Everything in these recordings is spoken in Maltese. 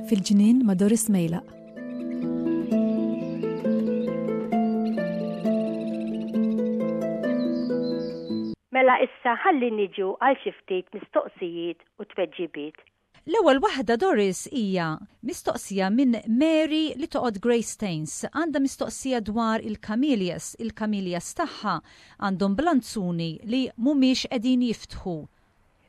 Fil-ġnien ma' Doris Mejlaq. Mela issa ħalli niġu għal xi ftit mistoqsijiet u tweġibiet. L-ewwel waħda Doris hija mistoqsija minn Mary li toqgħod Greystanes. Għandha mistoqsija dwar il-camellias. Il-camellias tagħha għandhom blanzuni li mhumiex qegħdin jiftħu.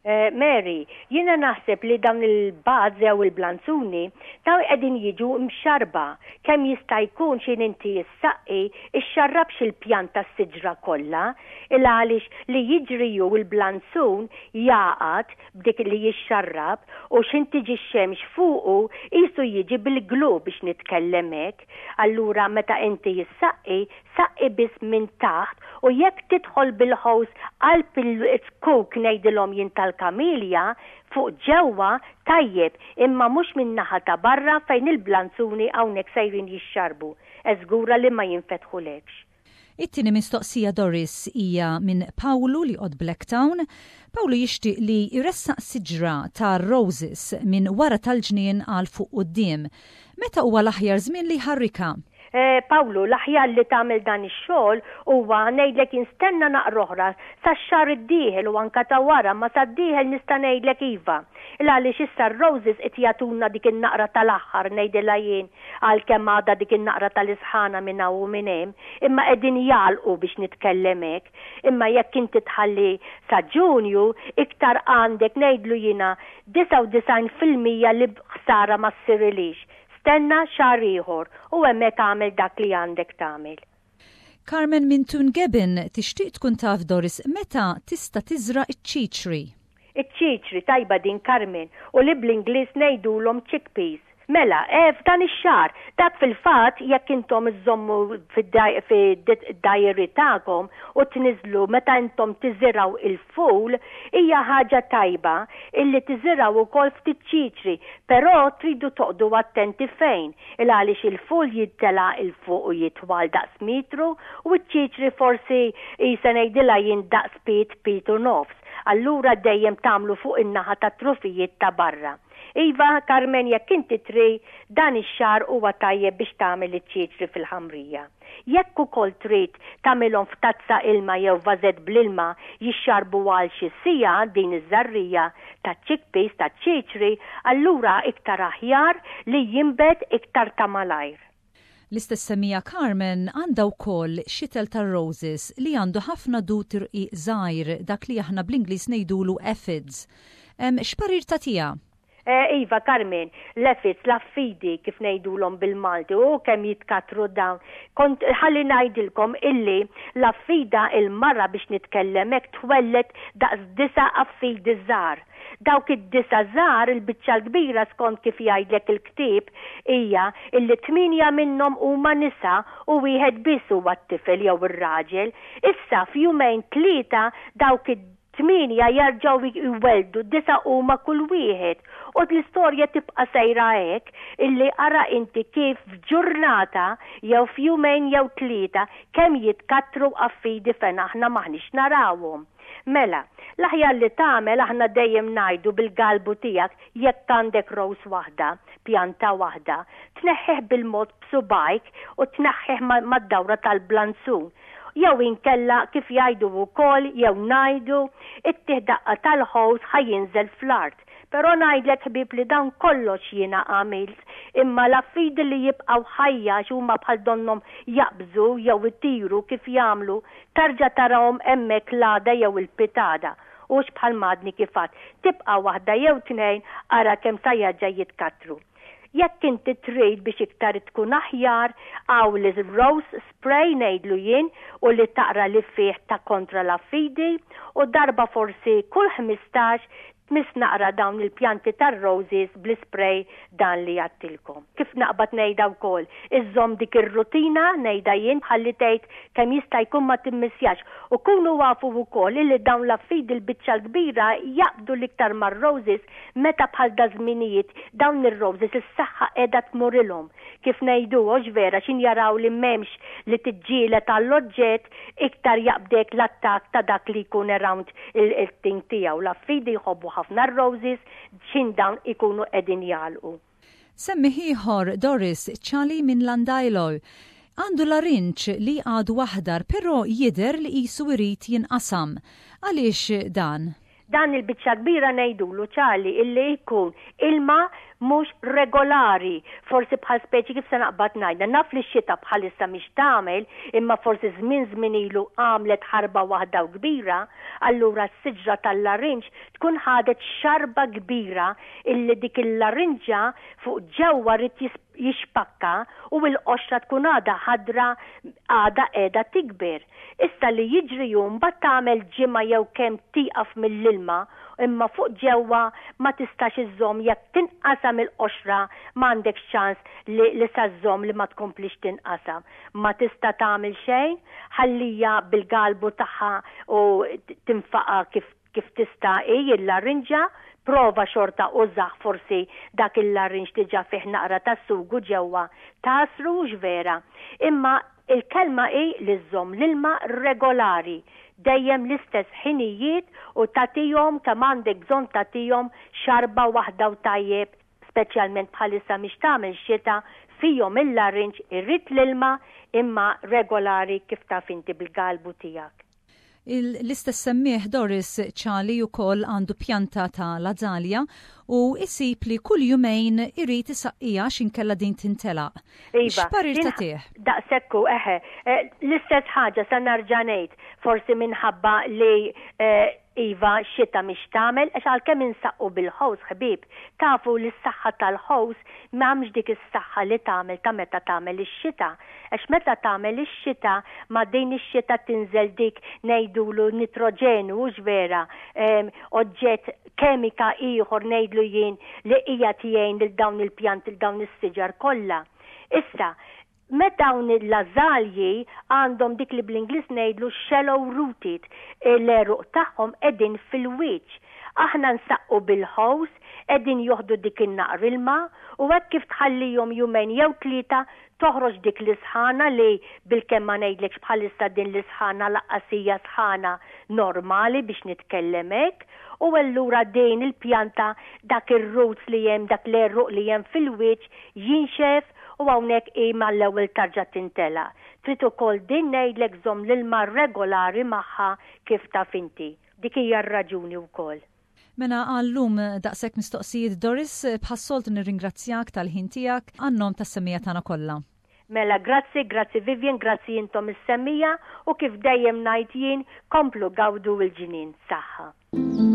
Mary, jiena naħseb li dawn il-buds jew il-blanzuni dawn qegħdin jiġu mxarrba. Kemm jista' jkun x'in inti ssaqqi ixxarrabx il-pjanta s-siġra kollha, il għaliex li jiġri hu l-blanzun jagħqad b'dik li jixxarrab u x'ħin tiġi x-xemx fuqu qisu jiġi bil-glue biex nitkellem hekk. Allura meta inti ssaqqi, saqqi biss minn taħt u jekk tidħol bil-hose qalb il-zkuk ngħidilhom jien tal-kamilja fuq ġewwa tajjeb imma mhux min-naħa ta' barra fejn il-blanzuni hawnhekk sejrin jixxarrbu. Żgura li ma jinfetħulekx. It-tieni mistoqsija Doris hija minn Pawlu li joqgħod Blacktown. Pawlu jixtieq li jressaq siġra ta' roses minn wara tal-ġnien għal fuq quddiem. Meta huwa l-aħjar żmien li jħarrikha? Pawlu, l-aħjar li tagħmel dan ix-xogħol huwa ngħidlek jien stenna naqra oħra sax-xahar id-dieħel u anke ta' wara ma sad-dieħel nista' ngħidlek iva. Il għaliex issa r-roses qed jagħtuna dik in-naqra tal-aħħar ngħidilha jien għalkemm għadha dik in-naqra tal-isħana minn hawn u minn hemm, imma qegħdin jagħlqu biex nitkellem hekk. Imma jekk inti tħalli sa Ġunju, iktar għandek ngħidlu jiena 99% li ħsara ma ssirilix. Stenna xahar ieħor u hemmhekk agħmel dak li għandek tagħmel. Carmen minn Tungebin tixtieq tkun taf Doris meta tista' tiżra' ċ-ċiċri. Iċ-ċiċri, tajba din Carmen, u li bl-Ingliż ngħidulhom chickpeas. Mela, eh, f'dan ix-xahar. Dak fil-fatt jekk intom iżżommu fid-diary tagħkom u tniżżlu meta intom tiżirgħu il-ful, hija ħaġa tajba illi tiżirgħu wkoll ftit ċiċri, però tridu toqgħdu attenti fejn, il għaliex il-ful jintela' 'il fuq u jitwal daqs metru u ċ-ċiċri forsi qisha ngħidilha jien daqs pied, pied u nofs. Allura dejjem tagħmlu fuq in-naħa tat-trufijiet ta' barra. Iva, Carmen jekk inti tri, dan ix-xahar huwa tajjeb biex tagħmel iċ-ċiċri fil-ħamrija. Jekk ukoll trid tagħmilhom f'tazza ilma jew vażett bl-ilma jixxarbu għal xi siegħa din iż-żarrija taċ-chickpeas, taċ-ċiċri, allura iktar aħjar li jinbet iktar ta' malajr. L-istess semmija Carmen għandha wkoll xitel tar-roses li għandu ħafna dud irqiq żgħir, dak li aħna bl-Ingliż ngħidulu aphids. X'parir tagħtiha? Eh, iva, Carmen, l-aphids, l-affidi, kif ngħidulhom bil-Malti, u kemm jitkattru dawn. Kont ħalli ngħidilkom illi l-affida il-mara biex nitkellem hekk twelled daqs disa' affidi żgħar. Dawk id-disa' żgħar il-biċċa l-kbira skont kif jgħidlek il-ktieb hija illi tmienja minnhom huma nisa u wieħed biss huwa t-tifel jew ir-raġel. Issa f'jumejn tlieta dawk id Tmienja jerġgħu jwelldu, disgħa huma kull wieħed. U l-istorja tibqa' sejra hekk, illi ara inti kif f'ġurnata jew f'jumejn jew tlieta kemm jitkattru affidi fejn aħna m'aħniex narawhom. Mela, l-aħjar li tagħmel aħna dejjem ngħidu bil-galbu tiegħek jekk għandek rose waħda, pjanta waħda, tneħħih bil-mod b'subgħajk u tneħħih mad-dawra tal-blanzun. Jew inkella kif jgħidu wkoll jew ngħidu, ittih daqqa tal-ħows ħa jinżel fl-art. Però ngħidlek ħbieb li dan kollox jiena għamilt, imma l-affidi li jibqgħu ħajja għax huma bħal donnhom jaqbżu jew itiru kif jagħmlu, tarġa' tarahom hemmhekk l-għada jew il-pitgħada. Hux bħal m'għadni kif għedt, tibqa' waħda jew tnejn ara kemm sa jerġa' jitkattru. Jekk inti trid biex iktar tkun aħjar, hawn l-rose spray ngħidlu jien u li taqra li fih ta' kontra l-affidi u darba forsi kull 15. Tmiss naqra dawn il-pjanti tar-roses bl-ispray dan li għadtilkom. Kif naqbad ngħidha wkoll, iżżomm dik ir-rutina, ngħidha jien, ħalli tgħid kemm jista' jkun ma timmissjax. U kunu afu wkoll illi dawn l-affidi l-biċċa l-kbira jaqbdu l-iktar mar-roses meta bħal daż-żminijiet dawn ir-roses is-saħħa qiegħda tmurilhom. Kif ngħidu, hux vera, x'in jaraw li m'hemmx li tiġġieled għall-oġġett, iktar jaqbdek l-attakk ta' dak li jkun around il-thing tiegħu. L-affidi jħobbu ħafna r-roses x'in dawn ikunu qegħdin jagħlqu. Semmiegħ ieħor, Doris Ċali minn Llandeilo. Għandu larinġ li għadu aħdar però jidher li qisu jrid jinqasam. Għaliex dan? Dan il-biċċa kbira ngħidulu ċali illi jkun ilma mhux regolari, forsi bħal speċi kif se naqbad ngħidha, naf li x-xita bħalissa mhix tagħmel, imma forsi żmien żmien ilu għamlet ħarba waħda u kbira, allura s-siġra tal-larinġ tkun ħadet xarba kbira illi dik il-larinġa fuq ġewwa ried jixpakka u l-qoxra tkun għadha ħadra għadha qiegħda tikber. Issa li jiġri hu mbagħad tagħmel ġimgħa jew kemm tieqaf mill-ilma imma fuq ġewwa ma tistax iżżomm jekk tinqasam il-qoxra m'għandekx ċans li li sa żżomm li ma tkomplix tinqasam. Ma tista' tagħmel xejn, ħallija bil-galbu tagħha u tinfaqa' kif Kif tista' hi il-larinġa, prova xorta użah forsi dak il-larinġ diġa fih naqra ta' sugu ġewwa tagħsru hux vera. Imma il-kelma hi li żżomm l-ilma regolari, dejjem l-istess ħinijiet u tagħtihom kemm għandek bżonn tagħtihom xarba waħda u tajjeb, speċjalment bħalissa mhix tagħmel xita, fihom il-larinġ irid l-ilma imma regolari kif taf inti bil-galbu tiegħek. L-istess semmiegħ Doris Ċali wkoll għandu pjanta ta' l-azalja u jsib li kull jumejn irid isaqqiha għax inkella din tintelaq. Iva. X'parir tagħtih? Daqshekk hu, eħe. L-istess ħaġa sa nerġa' ngħid, forsi minħabba li Iva, xita mhix tagħmel, għax għalkemm insaqqu bil-ħows ħbieb, tafu li s-saħħa tal-ħows m'hemmx dik is-saħħa li tagħmel ta' meta tagħmel ix-xita. Għax meta tagħmel ix-xita, ma' din ix-xita tinżel dik ngħidulu nitroġenu, hux vera, oġġett kemika ieħor ngħidlu jien li qiegħed jgħin lil dawn il-pjanti, lil dawn is-siġar kollha. Issa, Met dawn l-ażalji għandhom dik li bl-Ingliż ngħidlu shallow rooted, l-għeruq tagħhom qegħdin fil-wiċċ. Aħna nsaqqu bil-hose, qegħdin joħdu dik in-naqr ilma u hekk kif tħallihom jumejn jew tlieta toħroġ dik l-isħana li bilkemm ma ngħidlekx bħalissa din l-isħana laqqas hija sħana normali biex nitkellem hekk u allura din il-pjanta dak ir-roots li hemm dak l-għeruq li hemm fil-wiċċ jinxef u hawnhekk hi mal-ewwel tarġa' tintelaq. Trid ukoll din ngħidlek żomm l-ilma regolari magħha kif taf inti. Dik hija r-raġuni wkoll. Mela għal-lum daqshekk mistoqsijiet Doris, bħas-soltu nirringrazzjak tal-ħin tiegħek għan-nom tas-semmiegħa tagħna kollha. Mela grazzi, grazzi Vivian, grazzi intom is-semmiegħa u kif dejjem ngħid jien, komplu gawdu l-ġnien. Saħħa.